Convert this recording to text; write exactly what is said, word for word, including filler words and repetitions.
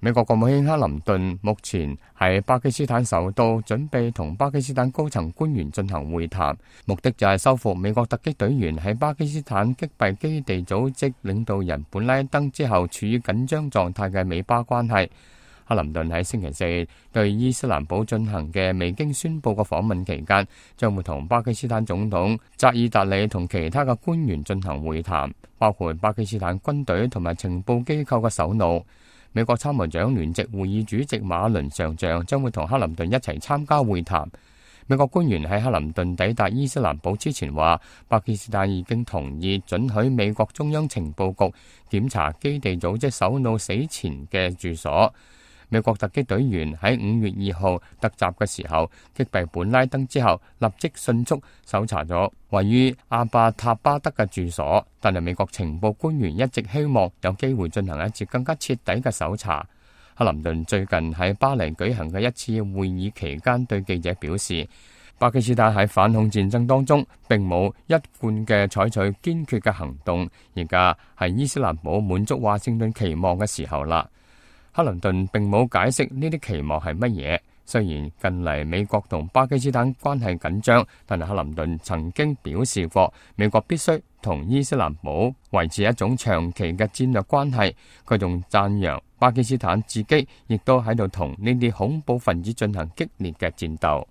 美國國務卿克林頓目前喺巴基斯坦首都，準備同巴基斯坦高層官員進行會談，目的就係修復美國突擊隊員喺巴基斯坦擊斃基地組織領導人本拉登之後處於緊張狀態嘅美巴關係。克林頓喺星期四對伊斯蘭堡進行嘅未經宣佈嘅訪問期間，將會同巴基斯坦總統扎爾達里同其他嘅官員進行會談，包括巴基斯坦軍隊同埋情報機構嘅首腦。美國參謀長聯席會議主席馬倫上將將會同克林頓一齊參加會談。美國官員喺克林頓抵達伊斯蘭堡之前話，巴基斯坦已經同意准許美國中央情報局檢查基地組織首腦死前嘅住所。美國突擊隊員喺五月二號突襲嘅時候擊斃本拉登之後，立即迅速搜查咗位於阿巴塔巴德嘅住所，但係美國情報官員一直希望有機會進行一次更加徹底嘅搜查。克林頓最近喺巴黎舉行嘅一次會議期間對記者表示，巴基斯坦喺反恐戰爭當中並冇一貫嘅採取堅決嘅行動，而家係伊斯蘭堡滿足華盛頓期望嘅時候啦。克林頓並冇解釋呢啲期望係乜嘢。雖然近嚟美國同巴基斯坦關係緊張，但係克林頓曾經表示過，美國必須同伊斯蘭堡維持一種長期嘅戰略關係。佢仲讚揚巴基斯坦自己亦都喺度同呢啲恐怖分子進行激烈嘅戰鬥。